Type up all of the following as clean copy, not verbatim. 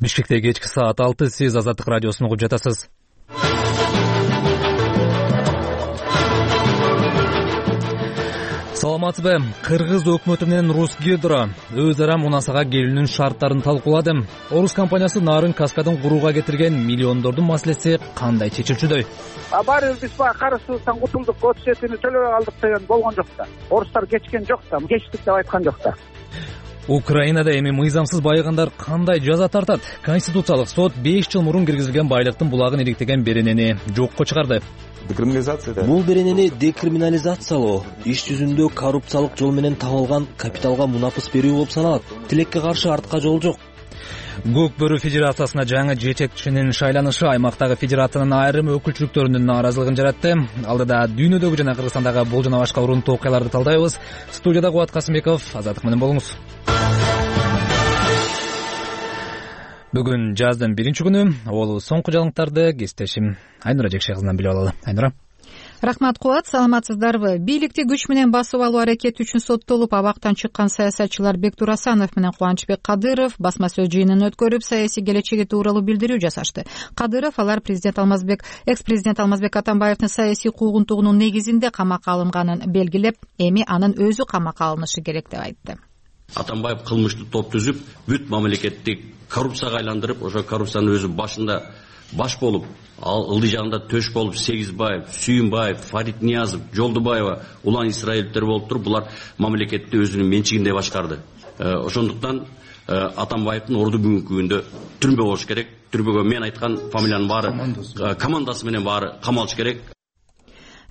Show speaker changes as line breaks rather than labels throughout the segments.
Бишкекте кечки саат 6. Сиз Азаттык радиосун угуп жатасыз. Саламатсызбы? Кыргыз өкмөтү менен Русгидро өз ара мунасага келүүнүн шарттарын талкуулады. Орус компаниясы нарын каскадын курууга кетирген миллиондордун маселеси кандай чечилчүдөй?
Баары биз баягы кара сууктан кутулдук, отчетini төлөбөй алдык деген болгон жок да. Орустар кечкен жок да, кечтик деп айткан жок да.
Украинада эми мыйзамсыз байыгандар кандай жаза тартат? Конституциялык сот 5 жыл мурун киргизилген байлыктын булагын иликтеген беренени жокко чыгарды.
Бул беренени декриминализациялоо иш жүзүндө коррупциялык жол менен табылган капиталга мунапыс берүү болуп саналат. Тилекке каршы артка жол жок.
Көк бөрү федерациясына жаңы жетекчинин шайланышы аймактагы федерациянын айрым өкүлчүлүктөрүнүн нааразылыгын жаратты. Алдыда дүйнөдөгү жана Кыргызстандагы бул жана башка урунтуу окуяларды талдайбыз. Студияда Кубат Касымбеков, Азаттык менен болуңуз. Бүгүн жаздын 1-күнү. Ол соңку жаңылыктарды кесиптешим Айнура Жекше кызынан билип алалы. Айнура.
Рахмат Кубат, саламатсыздарбы? Бийликти күч менен басып алуу аракети үчүн соттолуп абактан чыккан саясатчылар Бектур Асанов менен Кубанычбек Кадыров басма сөз жыйынын өткөрүп, саясий келечеги тууралуу билдирүү жасашты. Кадыров алар экс-президент Алмазбек Атамбаевдин саясий куугунтугунун негизинде камакка алынганын белгилеп, эми анын өзү камакка алынышы керек деп айтты.
Атамбаев кылмыштуу топ түзүп, бүт мамлекетти коррупцияга айландырып, ошо коррупциянын өзү башында баш болуп, ал ылдый жагында төш болуп, Сегизбаев, Сүйүнбаев, Фарид Ниязов, Жолдубаева, Улан Исраиловдер болуп туруп, булар мамлекетти өзүнүн менчигинде башкарды. Ошондуктан Атамбаевдин орду бүгүнкү күндө түрмө болуш керек. Түрмөгө мен айткан фамилиянын баары командасы менен баары камалыш керек.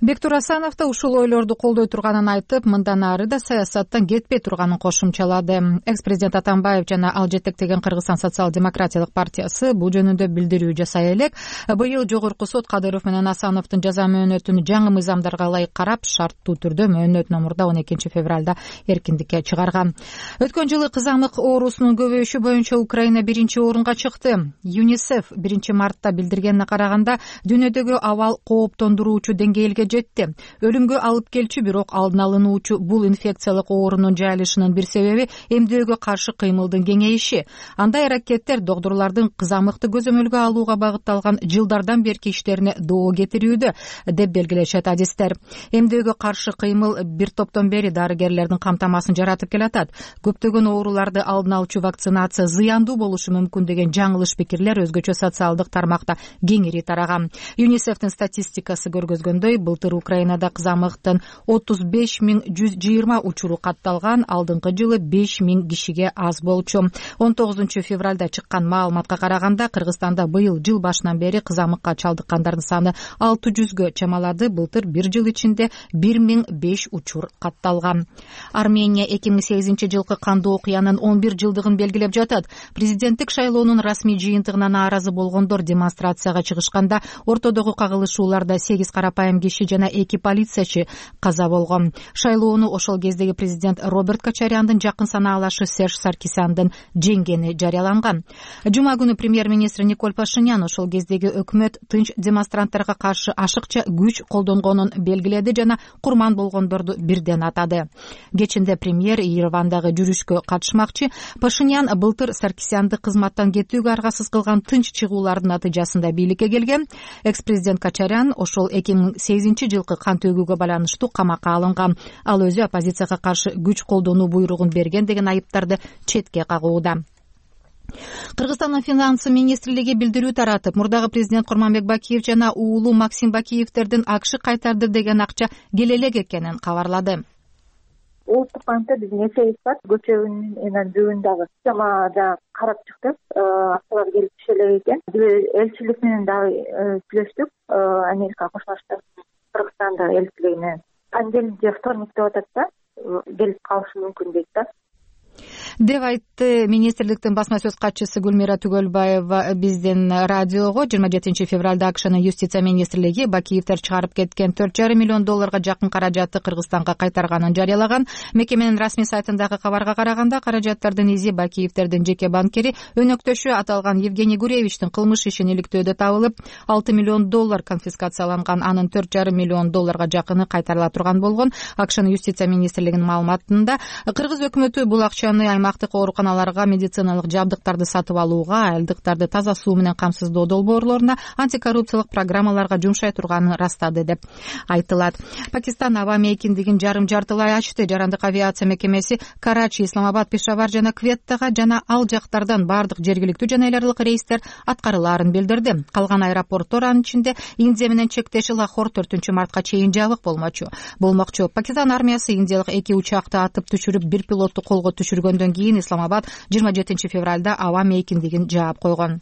Бектур Асанов да ушул ойлорду колдой турганын айтып, мындан ары да саясаттан кетпей турганын кошумчалады. Экс-президент Атамбаев жана ал жетектеген Кыргызстан социал-демократиялык партиясы бул жөнүндө билдирүү жасай элек. Быйыл жогорку сот Кадыров менен Асановдун жаза мөөнөтүн жаңы мыйзамдарга ылайык карап, шарттуу түрдө мөөнөт номурда 12 февралда эркиндикке чыгарган. Өткөн жылы кызамык оорусунун көбөйүшү боюнча Украина 1-орунга чыкты. ЮНИСЕФ 1 мартта билдиргенине караганда, дүйнөдөгү абал кооптондуруучу деңгээлге жетти. Өлүмгө алып келчү, бирок алдын алынуучу бул инфекциялык оорунун жайылышынын бир себеби эмдөөгө каршы кыймылдын кеңейиши. Андай аракеттер докторлордун кызамыкты көзөмөлгө алууга багытталган жылдардан берки иштерине доо кетирүүдө, деп белгилешет адистер. Эмдөөгө каршы кыймыл бир топтон бери дарыгерлердин камтамасын жаратып келатат. Көптөгөн ооруларды алдын алуучу вакцинация зыяндуу болушу мүмкүн деген жаңылыш пикирлер өзгөчө социалдык тармакта кеңири тараган. ЮНИСЕФтин статистикасы көргөзгөндөй, былтыр Украинада кызамыктын 35.120 учуру катталган, алдыңкы жылы 5.000 кишиге аз болчу. 19 февралда чыккан маалыматка караганда, Кыргызстанда быйыл жыл башынан бери кызамыкка чалдыккандардын саны 600гө чамалады. Былтыр бир жыл ичинде 1005 учур катталган. Армения 2008 жылкы кандуу окуянын 11 жылдыгын белгилеп жатат. Президенттик шайлоонун расмий жыйынтыгына нааразы болгондор демонстрацияга чыгышканда, ортодогу кагылышууларда 8 карапайым киши жана 2 полициячы каза болгон. Шайлоону ошол кездеги президент Роберт Кочаряндын жакын санаалашы Серж Саркисяндын жеңгени жарыяланган. Жума күнү премьер-министр Николь Пашинян ошол кездеги өкмөт тынч демонстранттарга каршы ашыкча күч колдонгонун белгиледи жана курман болгондорду бирден атады. Кечинде премьер Еревандагы жүрүшкө катышмакчы. Пашинян былтыр Саркисянды кызматтан кетүүгө аргасыз кылган тынч чыгуулардын натыйжасында бийликке келген. Экс-президент Кочарян ошол 2008 жылкы кан төгүүгө байланыштуу камакка алынган. Ал өзү оппозицияга каршы күч колдонуу буйругун берген деген айыптарды четке кагууда. Кыргызстандын финансы министрлиги билдирүү таратып, мурдагы президент Курманбек Бакиев жана уулу Максим Бакиевдердин акча кайтарды деген акча келе элек экенин кабарлады.
Улуттук банкта биздин эсебибиз бар. Көчөгүнүн бүгүндагы системада карап чыктык. Акчалар келип түшө элек экен. Элчилик менен дагы сүйлөштүк. Америка Кошмо Штаттын Кыргызстандагы элчилигине понедельник же вторник деп атат да, келип калышы мүмкүн дейт да.
деп айтты министрликтин басма сөз катчысы Гүлмира Түгөлбаева биздин радиого. 27 февралда АКШнын юстиция министрлиги Бакиевдер чыгарып кеткен $4,5 миллион жакын каражатты Кыргызстанга кайтарганын жарыялаган. Мекеменин расмий сайтындагы кабарга караганда, каражаттардын изи Бакиевдердин жеке банкири өнөктөшү аталган Евгений Гуревичтин кылмыш ишин иликтөөдө табылып, $6 миллион конфискацияланган. Анын $4,5 миллион жакыны кайтарыла турган болгон. АКШнын юстиция министрлигинин маалыматында, кыргыз өкмөтү бул акчаны аймактык ооруканаларга медициналык жабдыктарды сатып алууга, айылдыктарды таза суу менен камсыздоо долбоорлоруна, антикоррупциялык программаларга жумшай турганын ырастады деп айтылат. Пакистан аба мейкиндигин жарым-жартылай ачты. Жарандык авиация мекемеси Карачи, Исламабад, Пешавар жана Кветтага жана ал жактардан бардык жергиликтүү жана эл аралык рейстер аткарылаарын билдирди. Калган аэропорттор, анын ичинде Индия менен чектеши Лахор 4-мартка чейин жабык болмокчу. Пакистан армиясы индиялык 2 учакты атып түшүрүп, 1 пилотту колго түшүргөндөн кийин Исламабад 27 февралда аба мейкиндигин жаап койгон.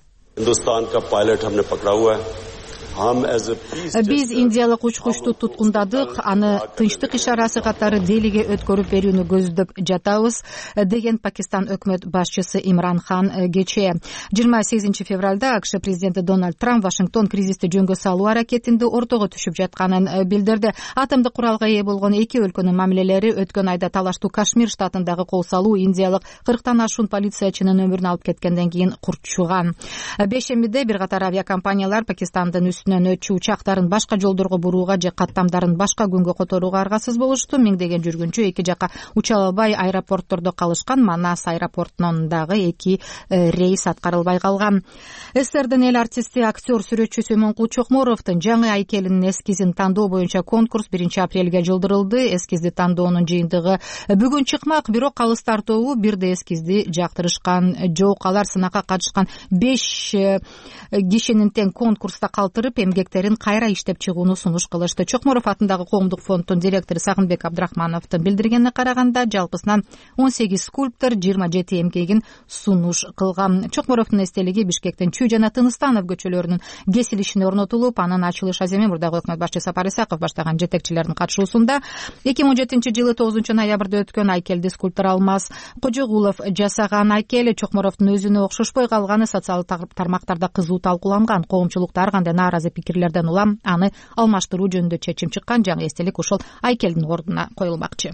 Биз индиялык учкучту туткундадык, аны тынчтык ишарасы катары Делиге өткөрүп берүүнү көздөп жатабыз, деген Пакистан өкмөт башчысы Имран Хан кечээ. 28 февралда АКШ президенти Дональд Трамп Вашингтон кризисти жөнгө салуу аракетинде ортого түшүп жатканын билдирди. Атомдук куралга ээ болгон эки өлкөнүн мамилелери өткөн айда талаштуу Кашмир штатындагы кол салуу индиялык 40тан ашуун полициячынын өмүрүн алып кеткенден кийин курчуган. Бейшембиде бир катар авиакомпаниялар Пакистандын өтчү учактарын башка жолдорго бурууга же каттамдарын башка күнгө которууга аргасыз болушту. Миңдеген жүргүнчү эки жака уча албай аэропорттордо калышкан. Манас аэропортунан дагы 2 рейс аткарылбай калган. СССРдин эл артисти, актер, сүрөтчү Сөймөнкул Чокморовдун жаңы айкелинин эскизин тандоо боюнча конкурс 1 апрелге жылдырылды. Эскизди тандоонун жыйынтыгы бүгүн чыкмак, бирок калыс тартообу бирде эскизди жактырышкан жок. Алар сынакка катышкан 5 кишинин тең конкурста калтырып, эмгектерин кайра иштеп чыгууну сунуш кылышты. Чокморов атындагы коомдук фонддун директору Сагынбек Абдрахмановдун билдиргенине караганда, жалпысынан 18 скульптор 27 эмгегин сунуш кылган. Чокморовдун эстелиги Бишкектин Чүй жана Тыныстанов көчөлөрүнүн кесилишине орнотулуп, анын ачылыш аземи мурдагы өкмөт башчысы Сапар Исаков баштаган жетекчилердин катышуусунда 2017-жылы 9 ноябрда өткөн айкелди скульптор Алмаз Кожогулов жасаган. Айкел Чокморовдун өзүнө окшошпой калганы социалдык тармактарда кызуу талкууланган. Коомчулукта ар кандай нааразы пикирлерден улам аны алмаштыруу жөнүндө чечим чыккан. Жаңы эстелик ушул айкелдин ордуна коюлмакчы.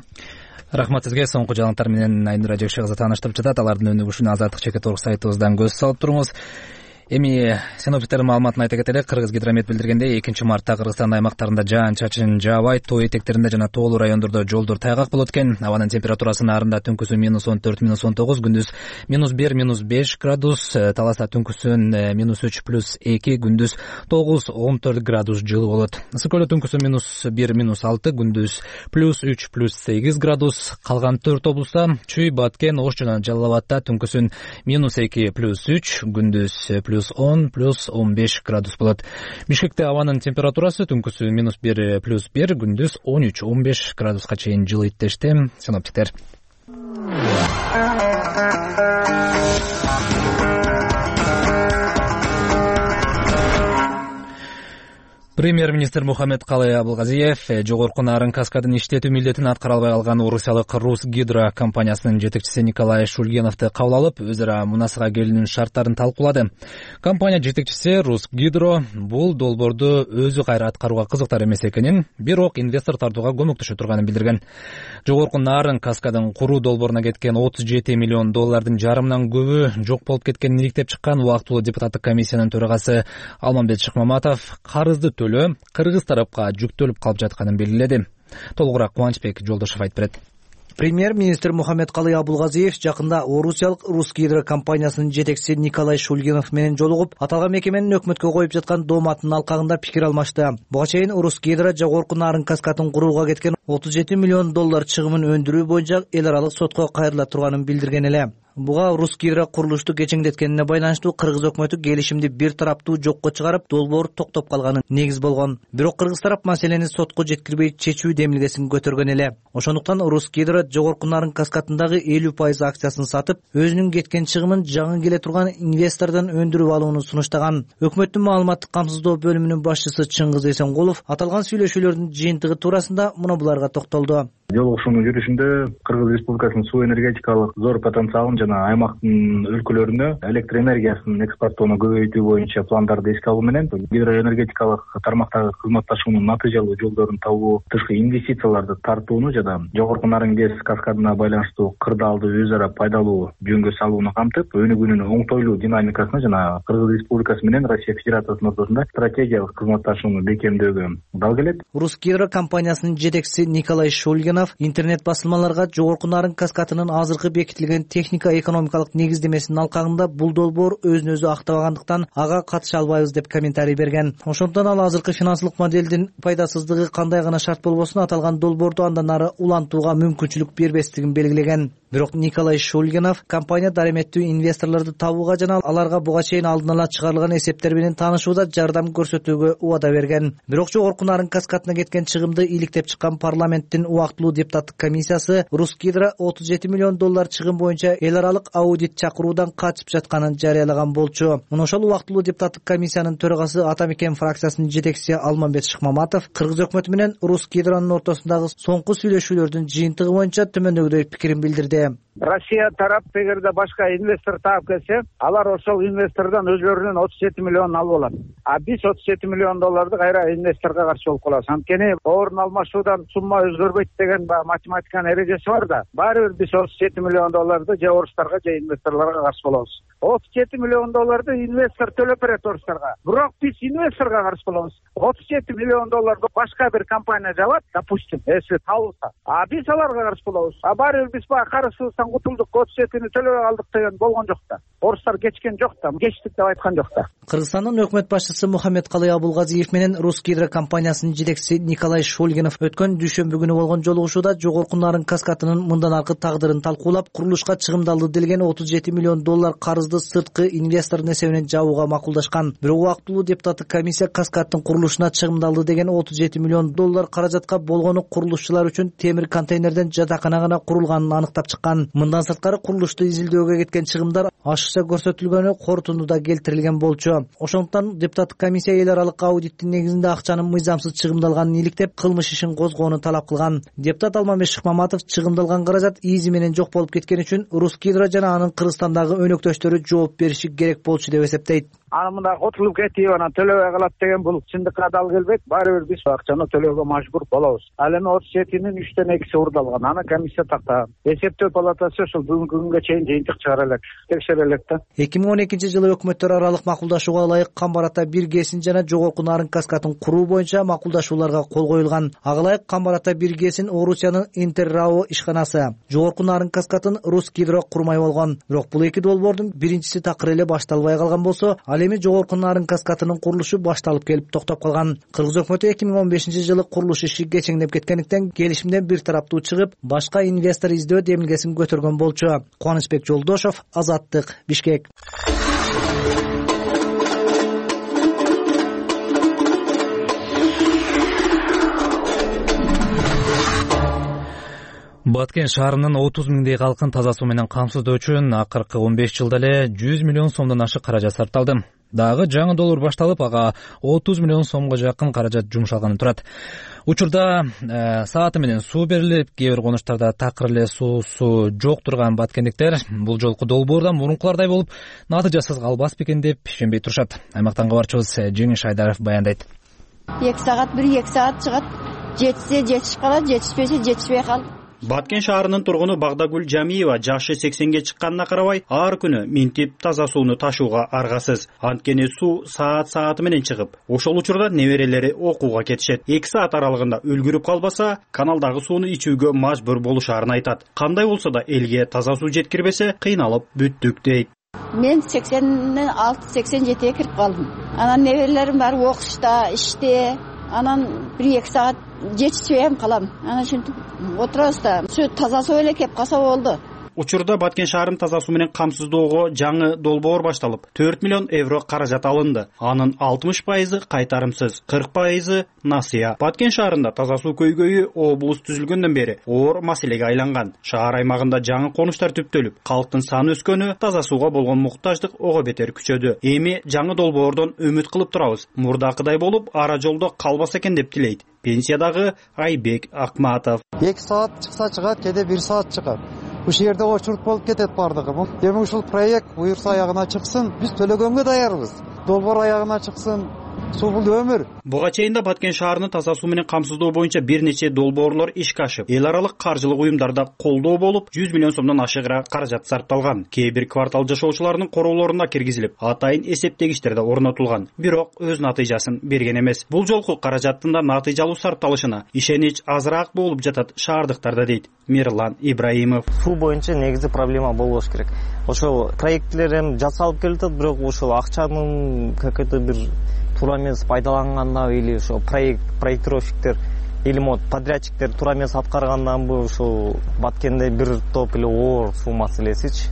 Рахмат сизге. Соңку жаңылыктар менен Айнура Жекшекызы тааныштырып жатат. Алардын өнүгүшүнө Азаттык Чекит.орг сайтыбыздан көз салып туруңуз. Эми синоптиктердин маалыматын айта кетелик. Кыргыз гидромет билдиргендей, 2-мартта Кыргызстан аймактарында жаан-чачын жаабайт. Тоо этектеринде жана тоолуу райондордо жолдор тайгак болот экен. Абанын температурасы наарында түнкүсүн -14, -19, күндүз -1, -5 градус, таласта түнкүсүн -3+2, күндүз 9-14 градус жылы болот. Ысык көлдө түнкүсүн -1, -6, күндүз +3+8 градус. Калган 4 облуста Чүй, Баткен, Ош жана Жалал Абадта түнкүсүн -2+3, күндүз +10+15 градус болот. Бишкекте абанын температурасы түнкүсүн -1+1, күндүз 13-15 градуска чейин жылыйт дешти синоптиктер. Премьер-министр Мухаммедкалый Абылгазиев жогорку нарын каскадын иштетүү милдетин аткара албай калган орусиялык Русгидро компаниясынын жетекчиси Николай Шульгеновду кабыл алып, өз ара мунасага келүүнүн шарттарын талкуулады. Компания жетекчиси Русгидро бул долбоорду өзү кайра аткарууга кызыктар эмес экенин, бирок инвестор тартууга көмөктөшө турганын билдирген. Жогорку нарын каскадын куруу долбооруна кеткен $37 миллион жарымынан көбү жок болуп кеткенин иликтеп чыккан убактылуу депутаттык комиссиянын төрагасы Алмамбет Шыкмаматов карызды Кыргыз тарапка жүктөлүп калып жатканын белгиледи. Толугураак Кубанычбек Жолдошов айтып берет.
Премьер-министр Мухаммедкалый Абылгазиев жакында орусиялык Русгидро компаниясынын жетекчиси Николай Шульгенов менен жолугуп, аталган мекеменин өкмөткө коюп жаткан дооматынын алкагында пикир алмашты. Буга чейин Русгидро жогорку нарын каскадын курууга кеткен $37 миллион чыгымын өндүрүү боюнча эл аралык сотко кайрыла турганын билдирген эле. Буга Русгидро курулушту кечеңдеткенине байланыштуу кыргыз өкмөтү келишимди бир тараптуу жокко чыгарып, долбоор токтоп калганы негиз болгон. Бирок кыргыз тарап маселени сотко жеткирбей чечүү демилгесин көтөргөн эле. Ошондуктан Русгидро жогорку нарын каскадындагы 50% акциясын сатып, өзүнүн кеткен чыгымын жаңы келе турган инвестордон өндүрүп алууну сунуштаган. Өкмөттүн маалыматтык камсыздоо бөлүмүнүн башчысы Чыңгыз Эсенгулов аталган сүйлөшүүлөрдүн жыйынтыгы туурасында мына буларга токтолду.
Жолугушуунун жүрүшүндө Кыргыз Республикасынын суу энергетикалык зор потенциалын жана аймактын өлкөлөрүнө электр энергиясын экспорттоону көбөйтүү боюнча пландарды эске алуу менен гидроэнергетикалык тармактагы кызматташуунун натыйжалуу жолдорун табуу, тышкы инвестицияларды тартууну жана жогорку нарын ГЭС каскадына байланыштуу кырдаалды өз ара пайдалуу жөнгө салууну камтып, өнүгүүнүн оңтойлуу динамикасына жана Кыргыз Республикасы менен Россия Федерациясынын ортосунда стратегиялык кызматташууну бекемдөөгө дал келет.
Русгидро компаниясынын жетекчиси Николай Шульгенов Шульгинов интернет басылмаларга жогорку нарын каскадынын азыркы бекитилген техника экономикалык негиздемесинин алкагында бул долбоор өзүн өзү актабагандыктан ага катыша албайбыз деп комментарий берген. Ошондон ал азыркы финансылык модельдин пайдасыздыгы кандай гана шарт болбосун аталган долбоорду андан ары улантууга мүмкүнчүлүк бербестигин белгилеген. Бирок Николай Шульгинов компания дареметтүү инвесторлорду табууга жана аларга буга чейин алдын ала чыгарылган эсептер менен таанышууда жардам көрсөтүүгө убада берген. Бирок жогорку нарын каскадына кеткен чыгымды иликтеп чыккан парламенттин убактылуу депутаттык комиссиясы Русгидро $37 миллион чыгым боюнча эл аралык аудит чакыруудан качып жатканын жарыялаган болчу. Мына ошол убактылуу депутаттык комиссиянын төрагасы Ата Мекен фракциясынын жетекчиси Алмамбет Шыкмаматов Кыргыз өкмөтү менен Русгидронун ортосундагы соңку сүйлөшүүлөрдүн жыйынтыгы боюнча төмөндөгүдөй пикирин билдирди.
Россия тарап эгерде башка инвестор таап келсе, алар ошол инвестордон өзлөрүнүн $37 миллион алып алат. А биз $37 миллион кайра инвесторго каршы болуп калабыз. Анткени орун алмашуудан сумма өзгөрбөйт деген математиканын эрежеси бар да. Баары бир биз $37 миллион же орустарга же инвесторлорго каршы болобуз. $37 миллион инвестор төлөп берет орустарга. Бирок биз инвесторго каршы болобуз. $37 миллион башка бир компания жабат, допустим, если табылса. А биз аларга каршы болобуз. А баары биз карызыбыздан кутулдук, $37 төлөп алдык деген болгон жок да. Орустар кечкен жок да, кечтик деп айткан жок да.
Кыргызстандын өкмөт башчысы Мухаммедкалый Абулгазиев менен Русгидро компаниясынын жетекчиси Николай Шульгинов өткөн дүйшөмбү күнү болгон жолугушууда жогорку нарын каскадынын мындан аркы тагдырын талкуулап, курулушка чыгымдалды делген $37 миллион карызды сырткы инвестордун эсебинен жабууга макулдашкан. Бирок убактылуу депутаттык комиссия каскаддын курулушуна чыгымдалды деген $37 миллион каражатка болгону курулушчулар үчүн темир контейнерден жатакана гана курулганын аныктап чыккан. Мындан сырткары курулушту изилдөөгө кеткен чыгымдар ашыкча көрсөтүлгөнү корутундуда келтирилген болчу. Ошондуктан депутаттык комиссия эл аралык аудиттин негизинде акчанын мыйзамсыз чыгымдалганын иликтеп, кылмыш ишин козгоону талап кылган. Депутат Алмамбет Шыкмаматов чыгымдалган каражат изи менен жок болуп кеткени үчүн Русгидро жана анын Кыргызстандагы өнөктөштөрү жооп бериши керек болчу деп эсептейт.
Аны мында котулуп кетип, анан төлөбөй калат деген бул чындыкка дал келбейт. Баары бир биз акчаны төлөөгө мажбур болобуз. Ал эми 37-нин 3/2 урдалган. Аны комиссия тактаган. Эсептөө палатасы ошол бүгүнкү күнгө чейин жыйынтык чыгара элек, текшере элек да.
2012-жылы өкмөттөр аралык макулдашууга ылайык Камбар Ата 1 ГЭСин жана жогорку нарын каскадын куруу боюнча макулдашууларга кол коюлган. Ага ылайык Камбар Ата 1 ГЭСин Орусиянын Интеррао ишканасы, жогорку нарын каскадын Русгидро курмай болгон. Бирок бул эки долбоордун биринчиси такыр эле башталбай калган болсо, ал эми жогорку нарын каскадынын курулушу башталып келип токтоп калган. Кыргыз өкмөтү 2015-жылы курулуш иши кечеңдеп кеткендиктен келишимден бир тараптуу чыгып, башка инвестор издөө демилгесин көтөргөн болчу. Кубанычбек Жолдошов, Азаттык, Бишкек.
Баткен шаарынын 30 миңдей калкын таза суу менен камсыздоо үчүн акыркы 15 жылда эле 100 миллион сомдон ашык каражат сарпталды. Дагы жаңы долбоор башталып, ага 30 миллион сомго жакын каражат жумшалганы турат. Учурда сааты менен суу берилип, кээ бир конуштарда такыр эле суусу жок турган баткендиктер бул жолку долбоордон мурункулардай болуп, натыйжасыз калбас бекен деп ишенбей турушат. Аймактан кабарчыбыз Жеңиш Айдаров баяндайт.
2 саат, 1-2 саат чыгат. Жетсе жетишип калат, жетишпесе жетишпей калат.
Баткен шаарынын тургуну Багдагүл Жамиева жашы 80ге чыкканына карабай, ар күнү минтип таза сууну ташууга аргасыз. Анткени суу саат менен чыгып, ошол учурда неберелери окууга кетишет. 2 саат аралыгында үлгүрүп калбаса, каналдагы сууну ичүүгө мажбур болушарын айтат. Кандай болсо да элге таза суу жеткирбесе, кыйналып бүттүк дейт.
Мен 86, 87-ге кирип калдым. Анан неберелерим бар окушта, иште. Анан 1-2 саат жетишпей калам. Анан ушинтип отурабыз да. Суу таза суу эле кеп калса болду.
Учурда Баткен шаарын таза суу менен камсыздоого жаңы долбоор башталып, 4 миллион евро каражат алынды. Анын 60% кайтарымсыз, 40% насыя. Баткен шаарында таза суу көйгөйү облус түзүлгөндөн бери оор маселеге айланган. Шаар аймагында жаңы конуштар түптөлүп, калктын саны өскөнү таза сууга болгон муктаждык ого бетер күчөдү. Эми жаңы долбоордон үмүт кылып турабыз. Мурдакыдай болуп, ара жолдо калбаса экен деп тилейт пенсиядагы Айбек Акматов.
2 саат чыкса чыгат, кеде 1 саат чыгат. Ушул жерде очуруп болуп кетет бардыгы. Эми ушул проект буюрса аягына чыксын, биз төлөгөнгө даярбыз. Долбоор аягына чыксын, суу бул өмүр.
Буга чейин да Баткен шаарынын таза суу менен камсыздоо боюнча бир нече долбоорлор ишке ашып, эл аралык каржылык уюмдарда колдоо болуп, 100 миллион сомдон ашыгыраак каражат сарпталган. Кээ бир квартал жашоочуларынын короолоруна киргизилип, атайын эсептегичтер да орнотулган. Бирок өз натыйжасын берген эмес. Бул жолку каражаттын да натыйжалуу сарпталышына ишенич азыраак болуп жатат шаардыктарда, дейт Мирлан Ибраимов.
Суу боюнча негизи проблема болбош керек. Ошол проекттер эми жасалып келатат, бирок ошол акчанын какой-то бир туура эмес пайдаланганда или ошо проектировщиктер или подрядчиктер туура эмес аткарганданбы ошол Баткенде бир топ эле оор суу маселесичи.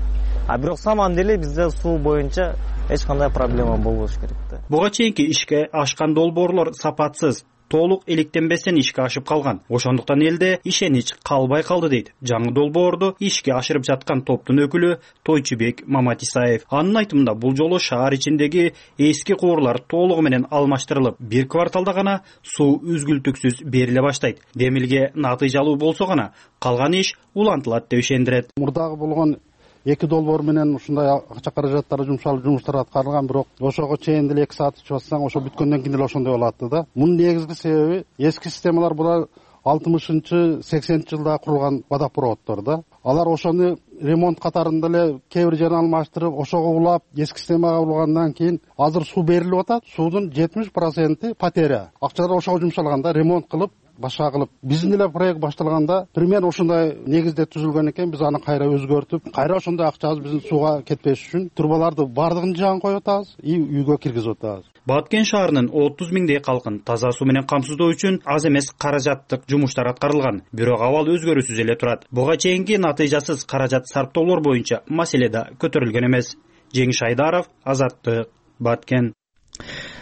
А бирок саман деле бизде суу боюнча эч кандай проблема болбош керек да.
Буга чейинки ишке ашкан долбоорлор сапатсыз, толук иликтенбестен ишке ашып калган. Ошондуктан элде ишенич калбай калды, дейт жаңы долбоорду ишке ашырып жаткан топтун өкүлү Тойчубек Маматисаев. Анын айтымында бул жолу шаар ичиндеги эски куурлар толугу менен алмаштырылып, бир кварталда гана суу үзгүлтүксүз бериле баштайт. Демилге натыйжалуу болсо гана калган иш улантылат деп ишендирет.
Мурдагы болгон эки долбоор менен ушундай акча каражаттары жумшалып жумуштар аткарылган, бирок ошого чейин деле 2 саат ичип атсаң, ошо бүткөндөн кийин деле ошондой болот да. Мунун негизги себеби эски системалар булар 60-80 жылда курулган водопроводдор да. Алар ошону ремонт катарында эле кээ бир жерин алмаштырып, ошого улап, эски системага улгандан кийин азыр суу берилип атат. Суудун 70% потеря. Акчалар ошого жумшалганда ремонт кылып, башка кылып, биздин эле проект башталганда примерно ушундай негизде түзүлгөн экен. Биз аны кайра өзгөртүп, кайра ошондой акчабыз биздин сууга кетпеш үчүн трубаларды бардыгын жагын коюп атабыз, үйгө киргизип атабыз.
Баткен шаарынын 30 миңдей калкын таза суу менен камсыздоо үчүн аз эмес каражаттык жумуштар аткарылган, бирок абал өзгөрүүсүз эле турат. Буга чейинки натыйжасыз каражат сарптоолор боюнча маселе да көтөрүлгөн эмес. Жеңиш Айдаров, Азаттык, Баткен.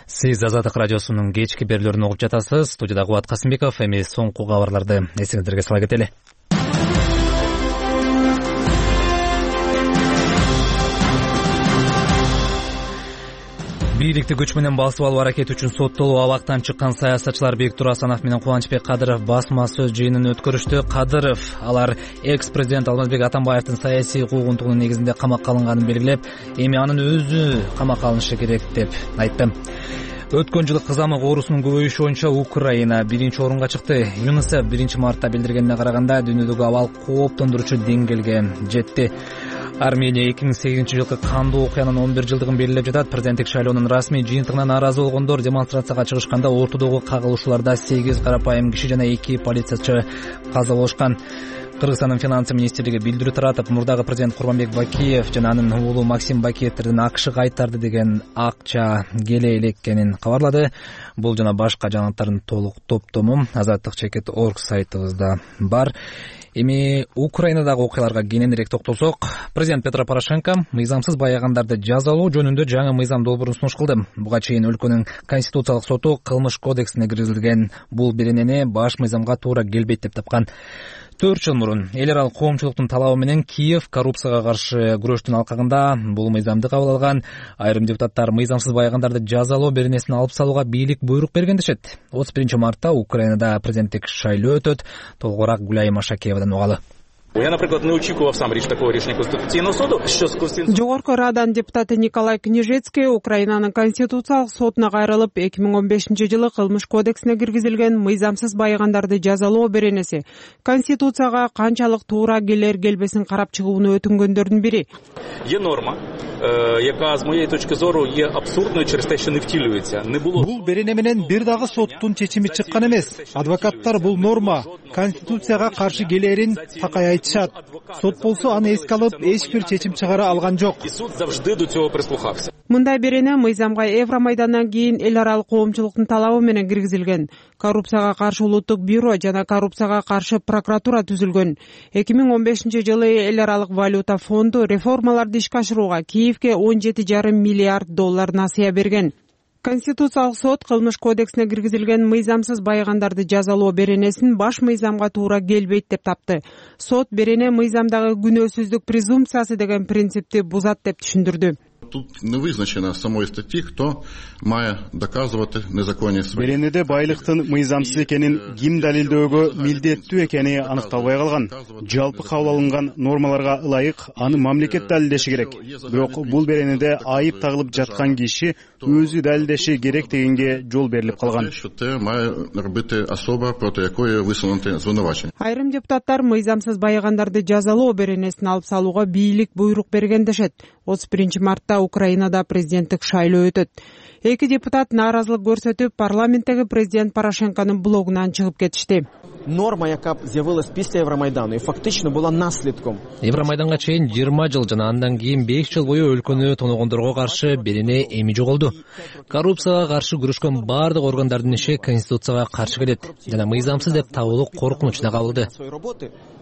Сиз Азаттык радиосунун кечки берүүлөрүн угуп жатасыз. Студияда Кубат Касымбеков. Эми соңку кабарларды эсиңиздерге сала кетели. Бийликти күч менен басып алуу аракети үчүн соттолуу абактан чыккан саясатчылар Бектур Асанов менен Кубанычбек Кадыров басма сөз жыйынын өткөрүштү. Кадыров алар экс-президент Алмазбек Атамбаевдин саясий куугунтугунун негизинде камакка алынганын белгилеп, эми анын өзү камакка алынышы керек деп айтты. Өткөн жылы кызамык оорусунун көбөйүшү боюнча Украина 1-орунга чыкты. ЮНИСЕФ 1-мартта билдиргенине караганда дүйнөдөгү абал кооптондуруучу деңгээлге жетти. Армения 2008-жылкы кандуу окуянын 11 жылдыгын белгилеп жатат. Президенттик шайлоонун расмий жыйынтыгына нааразы болгондор демонстрацияга чыгышканда ортодогу кагылышууларда 8 карапайым киши жана 2 полициячы каза болушкан. Кыргызстандын финансы министрлиги билдирүү таратып, мурдагы президент Курманбек Бакиев жана анын уулу Максим Бакиевтердин АКШга кайтарды деген акча келе элеккенин кабарлады. Бул жана башка жаңылыктардын толук топтому azattik.org сайтыбызда бар. Эми Украинадагы окуяларга кененирээк токтолсок, президент Петро Порошенко мыйзамсыз баягандарды жазалоо жөнүндө жаңы мыйзам долбоорун сунуш кылды. Буга чейин өлкөнүн конституциялык соту кылмыш кодексине киргизилген бул беренени баш мыйзамга туура келбейт деп тапкан. 4 жыл мурун эл аралык коомчулуктун талабы менен Киев коррупцияга каршы күрөштүн алкагында бул мыйзамды кабыл алган. Айрым депутаттар мыйзамсыз баягандарды жазалоо беренесин алып салууга бийлик буйрук берген дешет. 31-мартта Украинада президенттик шайлоо өтөт. Толугураак Гүлай Машакеевадан угалы.
Я, наприклад, не очікував сам такого рішення Конституційного суду, що з Конституційного...
Жогорку Раданын депутаты Николай Книжецкий Украинанын конституциялык сотуна кайрылып, 2015-жылы кылмыш кодексине киргизилген мыйзамсыз баягандарды жазалоо беренеси Конституцияга канчалык туура келер келбесин карап чыгууну өтүнгөндөрдүн бири.
Є норма, яка з моєї точки зору є абсурдною через те, що не втілюється. Не було...
Бул берене менен бир дагы соттун чечими чыккан эмес. Адвокаттар бул норма Конституцияга каршы келерин такай айтышат. Сот болсо аны эске алып, эч бир чечим чыгара алган жок.
И суд завжди до цього прислухався.
Мындай берене мыйзамга Евромайдандан кийин эл аралык коомчулуктун талабы менен киргизилген. Коррупцияга каршы улуттук бюро жана коррупцияга каршы прокуратура түзүлгөн. 2015-жылы эл аралык валюта фонду реформаларды ишке ашырууга Киевке $17,5 миллиард насыя берген. Конституциялык сот кылмыш кодексине киргизилген мыйзамсыз баягандарды жазалоо беренесин баш мыйзамга туура келбейт деп тапты. Сот берене мыйзамдагы күнөөсүздүк презумпциясы деген принципти бузат деп түшүндүрдү.
Тут не визначено самой статьи, кто має доказувати незаконність своїх.
Беренеде байлыктын мыйзамсыз экенин ким далилдөөгө милдеттүү экени аныкталбай калган. Жалпы кабыл алынган нормаларга ылайык аны мамлекет далилдеши керек. Бирок бул беренеде айып тагылып жаткан киши өзү далилдеши керек дегенге жол берилип калган. Айрым депутаттар мыйзамсыз байыгандарды жазалоо беренесин алып салууга бийлик буйрук берген дешет. 31 мартта Украинада президенттик шайлоо өтөт. Эки депутат нааразылык көрсөтүп, парламенттеги президент Порошенконун блогунан чыгып кетишти.
Норма, яка з'явилась після Евромайдану, і фактично була наслідком.
Евромайданга чейин 20 жыл жана андан кийин 5 жыл бою өлкөнү тоногондорго каршы берене эми жоголду. Коррупцияга каршы күрөшкөн бардык органдардын иши конституцияга каршы келет жана мыйзамсыз деп табылуу коркунучуна кабылды.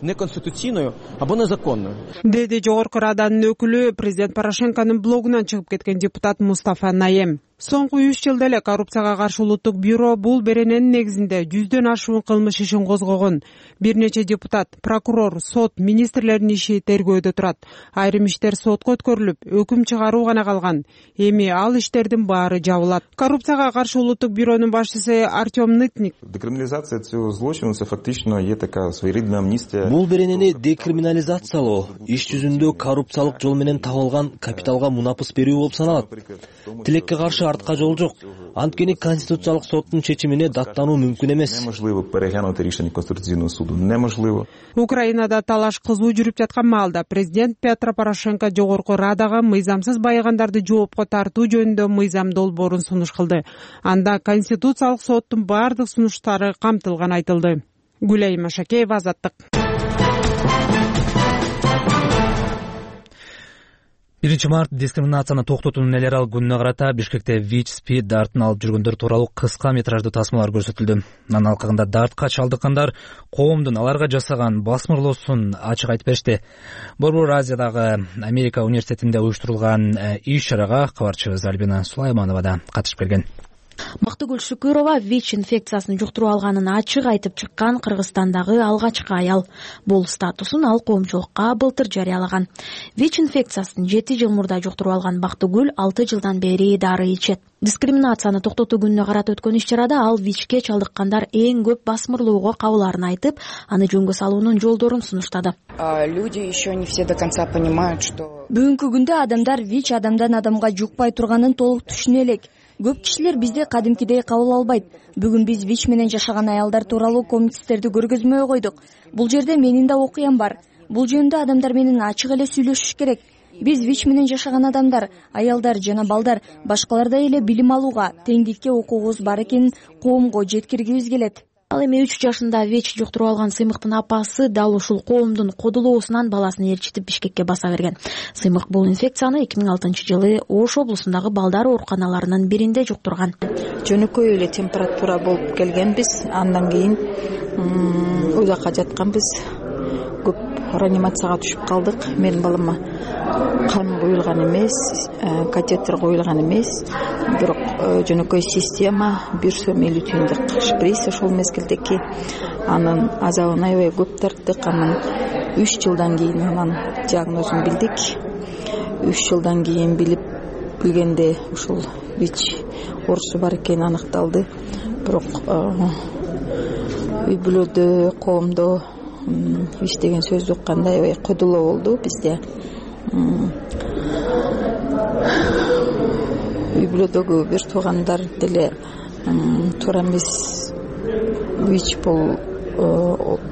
Неконституцийною або незаконною.
Деди Жогорку Раданын өкүлү президент Порошенконун блогунан чыгып кеткен депутат Мустафа Наем. Соңку 3 жылда эле коррупцияга каршы улуттук бюро бул берененин негизинде 100дөн ашуун кылмыш ишин козгогон. Бир нече депутат, прокурор, сот, министрлердин иши тергөөдө турат. Айрым иштер сотко өткөрүлүп, өкүм чыгаруу гана калган. Эми ал иштердин баары жабылат. Коррупцияга каршы улуттук бюронун башчысы Артем Нытник.
Декриминализация цього злочину це фактично є така своєрідна амністія.
Бул беренени декриминализациялоо иш жүзүндө коррупциялык жол менен табылган капиталга мунапыс берүү болуп саналат. Тилекке каршы артка жол жок. Анткени конституциялык соттун чечимине даттануу мүмкүн эмес.
Неможливо переглянути рішення Конституційного суду. Неможливо.
Украинада талаш кызуу жүрүп жаткан маалда президент Петро Порошенко Жогорку Радага мыйзамсыз байыгандарды жоопко тартуу жөнүндө мыйзам долбоорун сунуш кылды. Анда конституциялык соттун бардык сунуштары камтылган айтылды. Гүлай Машакеева, Азаттык.
1 март дискриминацияны токтотуунун эл аралык күнүнө карата Бишкекте ВИЧ-СПИД дартын алып жүргөндөр тууралуу кыска метраждуу тасмалар көрсөтүлдү. Анын алкагында дартка чалдыккандар коомдун аларга жасаган басмырлоосун ачык айтып беришти. Борбор Азиядагы Америка университетинде уюштурулган иш-чарага кабарчыбыз Альбина Сулайманова да катышып келген.
Бактыгүл Шүкүрова ВИЧ инфекциясын жуктуруп алганын ачык айтып чыккан Кыргызстандагы алгачкы аял. Бул статусун ал коомчулукка былтыр жарыялаган. ВИЧ инфекциясын 7 жыл мурда жуктуруп алган Бактыгүл 6 жылдан бери дары ичет. Дискриминацияны токтотуу күнүнө карата өткөн иш-чарада ал ВИЧке чалдыккандар эң көп басмырлоого кабылаарын айтып, аны жөнгө салуунун жолдорун сунуштады.
Люди еще не все до конца понимают, что
бүгүнкү күндө адамдар ВИЧ адамдан адамга жукпай турганын толук түшүнө элек. Көп кишилер бизди кадимкидей кабыл албайт. Бүгүн биз ВИЧ менен жашаган аялдар тууралуу комикстерди көргөзмөгө койдук. Бул жерде менин да окуям бар. Бул жөнүндө адамдар менен ачык эле сүйлөшүш керек. Биз ВИЧ менен жашаган адамдар, аялдар жана балдар башкалардай эле билим алууга, теңдикке укугубуз бар экенин коомго жеткиргибиз келет. Ал эми 3 жашында ВИЧ жуктуруп алган Сыймыктын апасы дал ушул коомдун кодулоосунан баласын ээрчитип Бишкекке баса берген. Сыймык бул инфекцияны 2006-жылы Ош облусундагы балдар ооруканаларынын биринде жуктурган.
Жөнөкөй эле температура болуп келгенбиз, андан кийин уякка жатканбыз. Көп реанимацияга түшүп калдык. Менин балама кан куюлган эмес, катетер коюлган эмес, бирок жөнөкөй система бир сөмелүү түйүндүк шприц ошол мезгилдеки анын азабын аябай көп тарттык. Анан 3 жылдан кийин анан диагнозун билдик. 3 жылдан кийин билгенде ушул ВИЧ оорусу бар экени аныкталды. Бирок үй бүлөдө, коомдо ВИЧ деген сөздү укканда аябай кодулоо болду бизде. Үй бүлөдөгү бир туугандар деле туура эмес, ВИЧ бул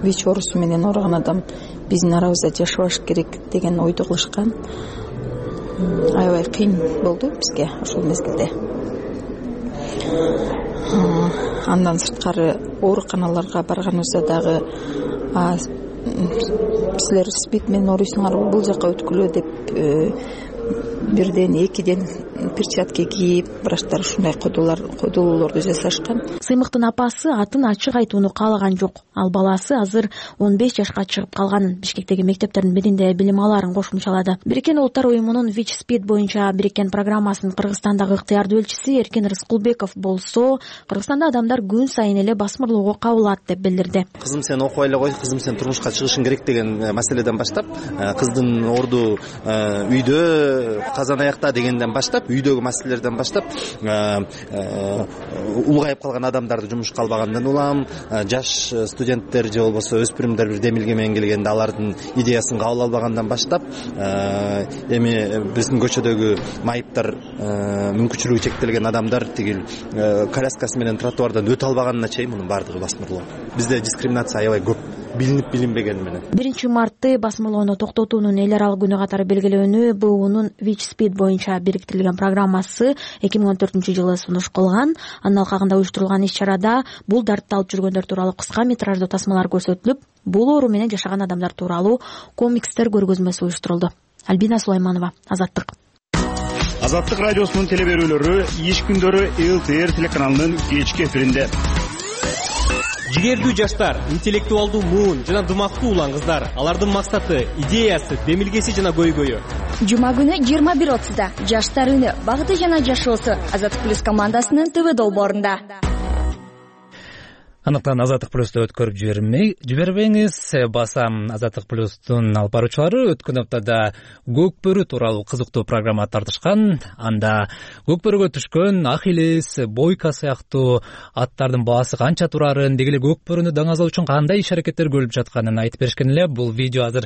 ВИЧ оорусу менен ооруган адам биздин арабызда жашабаш керек деген ойду кылышкан. Аябай кыйын болду бизге ошол мезгилде. Андан сырткары ооруканаларга барганыбызда дагы силер СПИД менен ооруйсуңар, бул жака өткүлө деп бирден экиден перчатки кийип, врачтар ушундай койдулуулорду жасашкан.
Сыймыктын апасы атын ачык айтууну каалаган жок. Ал баласы азыр 15 жашка чыгып калганын, Бишкектеги мектептердин биринде билим алаарын кошумчалады. Бириккен Улуттар уюмунун WIC-SPEED боюнча бириккен программасынын Кыргызстандагы ыктыярдуу элчиси Эркин Рыскулбеков болсо, Кыргызстанда адамдар күн сайын эле басмырлоого кабылат деп билдирди.
Кызым сен окуй эле кой, кызым сен турмушка чыгышың керек деген маселеден баштап, кыздын орду үйдө, казан аякта дегенден баштап, үйдөгү маселелерден баштап, улгайып калган адамдарды жумушка албагандан улам, жаш студенттер же болбосо өспүрүмдөр бир демилге менен келгенде алардын идеясын кабыл албагандан баштап, эми биздин көчөдөгү майыптар, мүмкүнчүлүгү чектелген адамдар тигил коляскасы менен тротуардан өтө албаганына чейин мунун баардыгы басмырлоо. Бизде дискриминация аябай көп, билинип билинбегени менен.
1 мартты басмырлоону токтотуунун эл аралык күнү катары белгилөөнү БУнун WIC-SPEED боюнча бириктирилген программасы 2014-жылы сунуш кылган. Анын алкагында уюштурулган иш-чарада бул дартты алып жүргөндөр тууралуу кыска метраждуу тасмалар көрсөтүлүп, бул оору менен жашаган адамдар тууралуу комикстер көргөзмөсү уюштурулду. Альбина Сулайманова, Азаттык.
Азаттык радиосунун телеберүүлөрү иш күндөрү ЛТР телеканалынын кечки эфиринде.
Жигердүү жаштар, интеллектуалдуу муун жана дымактуу улан кыздар, алардын максаты, идеясы, демилгеси жана көйгөйү.
Жума күнү 21:30да Жаштар үні, багыты жана жашоосу Азаттык плюс командасынын ТВ долбоорунда.
Андыктан Азаттык плюсту өткөрүп жибербеңиз. Баса Азаттык плюстун алып баруучулары өткөн аптада көк бөрү тууралуу кызыктуу программа тартышкан. Анда көк бөрүгө түшкөн Ахиллес, Бойка сыяктуу аттардын баасы канча турарын, деги эле көк бөрүнү даңазоо үчүн кандай иш-аракеттер көрүлүп жатканын айтып беришкен эле. Бул видео азыр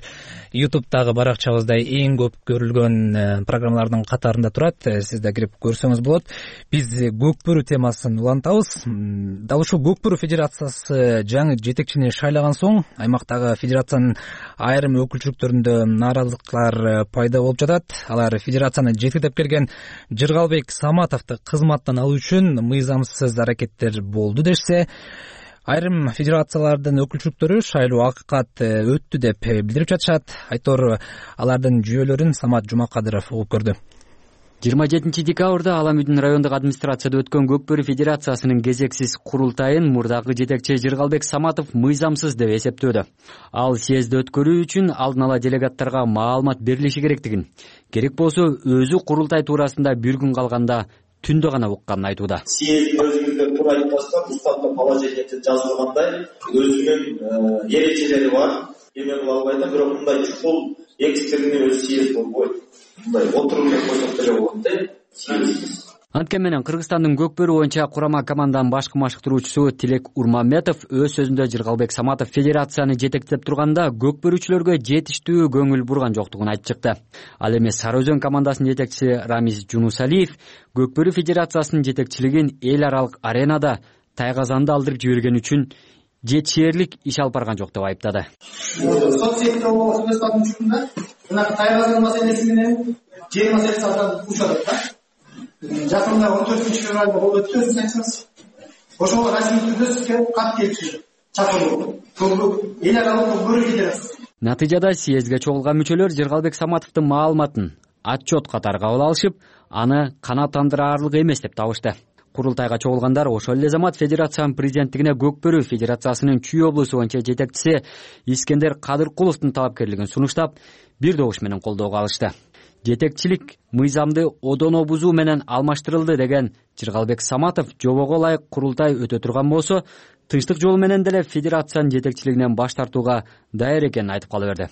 YouTube'дагы баракчабызда эң көп көрүлгөн программалардын катарында турат. Сиз да кирип көрсөңүз болот. Биз көк бөрү темасын улантабыз. Дал ушул көк бөрү федерациясы жаңы жетекчини шайлаган соң аймактагы федерациянын айрым өкүлчүлүктөрүндө нааразылыктар пайда болуп жатат. Алар федерацияны жетектеп келген Жыргалбек Саматовду кызматтан алуу үчүн мыйзамсыз аракеттер болду дешсе, айрым федерациялардын өкүлчүлүктөрү шайлоо акыкат өттү деп билдирип жатышат. Айтор алардын жүйөлөрүн Самат Жумакадыров угуп көрдү.
27 декабрда Ала Мүдүн райондук администрацияда өткөн Көк бөрү федерациясынын кезексиз курултайын мурдагы жетекчи Жыргалбек Саматов мыйзамсыз деп эсептөөдө. Ал съездди өткөрүү үчүн алдын ала делегаттарга маалымат берилиши керектигин, керек болсо өзү курултай туурасында бир күн калганда түндө гана укканын айтууда.
Съезд өзүңүздөр туура айтып атасыздар, уставда положениеде жазылгандай өзүнүн эрежелери бар. Эме кыла албайт, бирок мындай чукул экстренный өз съезд болбойт. Мындай отуруп койсок деле болот да, съезд.
Анткени менен Кыргызстандын көк бөрү боюнча курама команданын башкы машыктыруучусу Тилек Урмамбетов өз сөзүндө Жыргалбек Саматов федерацияны жетектеп турганда көк бөрүчүлөргө жетиштүү көңүл бурган жоктугун айтып чыкты. Ал эми Сары Өзөн командасынын жетекчиси Рамиз Жунусалиев көк бөрү федерациясынын жетекчилигин эл аралык аренада тайгазанды алдырып жиберген үчүн жетишээрлик иш алып барган жок деп айыптады.
Соцсетте өз учурунда мына тайгазан маселеси менен жер маселеси аталып учурат да. Жакында 14-февралда болуп өттү, өзүңүз айтсаңыз. Ошого расмий түрдө сизге кат келип чакыруу. Эл аралык көк бөрү федерациясы.
Натыйжада съездге чогулган мүчөлөр Жыргалбек Саматовдун маалыматын отчет катары кабыл алышып, аны канааттандыраарлык эмес деп табышты. Курултайга чогулгандар ошол эле замат федерациянын президенттигине Көк бөрү федерациясынын Чүй облусу боюнча жетекчиси Искендер Кадыркуловдун талапкерлигин сунуштап, бир добуш менен колдоого алышты. Жетекчилик мыйзамды одоно бузуу менен алмаштырылды деген Жыргалбек Саматов жобого ылайык курултай өтө турган болсо, тынчтык жолу менен деле федерациянын жетекчилигинен баш тартууга даяр экенин айтып кала берди.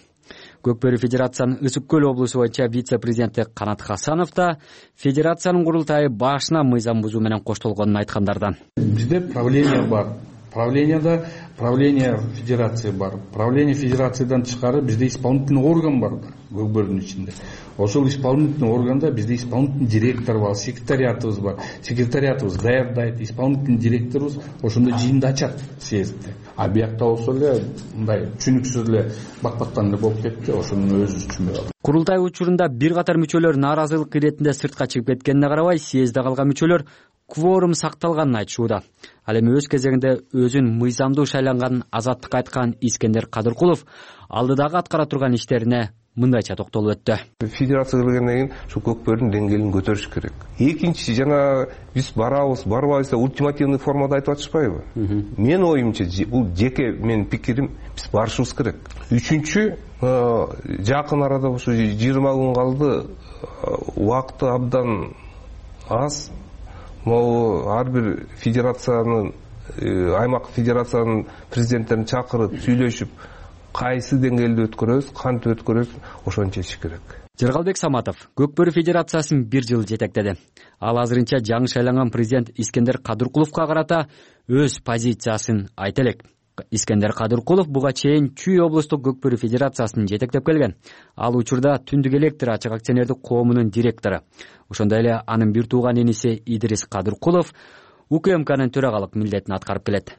Көк бөрү федерациянын Ысык көл облусу боюнча вице-президенти Канат Хасанов да федерациянын курултайы башына мыйзам бузуу менен коштолгонун айткандардан.
Бизде правление бар. Правлениеда правление федерации бар. Правление федерациядан тышкары бизде исполнительный орган бар Көк бөрүнүн ичинде. Ошол исполнительный органда бизде исполнительный директор бар, секретариатыбыз бар. Секретариатыбыз даярдайт, исполнительный директорубуз ошондо жыйынды ачат съездде. А биякта болсо эле мындай түшүнүксүз эле бакбактан эле болуп кетти, ошону өзүбүз түшүнбөй.
Курултай учурунда бир катар мүчөлөр нааразылык иретинде сыртка чыгып кеткенине карабай, съездде калган мүчөлөр кворум сакталганын айтышууда. Ал эми өз кезегинде өзүн мыйзамдуу шайланганын азаттыкка айткан Искендер Кадыркулов алдыдагы аткара турган иштерине мындайча токтолуп өттү.
Федерация келгенден кийин ушу көкбөрүнүн деңгээлин көтөрүш керек. Экинчи, жана биз барабыз, барбайбыз деп ультимативный формада айтып атышпайбы? Менин оюмча бул жеке менин пикирим, биз барышыбыз керек. Үчүнчү, жакын арада ушу 20 күн калды, убакыты абдан аз. Могу ар бир федерациянын, аймак федерациянын президенттерин чакырып сүйлөшүп, кайсы деңгээлде өткөрөбүз, кантип өткөрөбүз, ошону чечиш керек.
Жыргалбек Саматов Көкбөрү федерациясын 1 жыл жетектеди. Ал азырынча жаңы шайланган президент Искендер Кадыркуловго карата өз позициясын айта элек. Искендер Кадыркулов буга чейин Чүй облустук Көкбөрү федерациясын жетектеп келген. Ал учурда Түндүк электр ачык акционердик коомунун директору. Ошондой эле анын бир тууган иниси Идрис Кадыркулов УКМКнын төрагалык милдетин аткарып келет.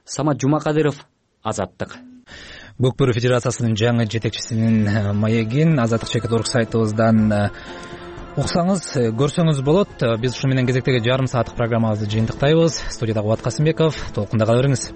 Самат Жумакадыров, Азаттык.
Көкбөрү федерациясынын жаңы жетекчисинин маегин Азаттык чекит орг сайтыбыздан уксаңыз, көрсөңүз болот. Биз ушу менен кезектеги жарым сааттык программабызды жыйынтыктайбыз. Студияда Кубат Касымбеков, толкунда кала бериңиз.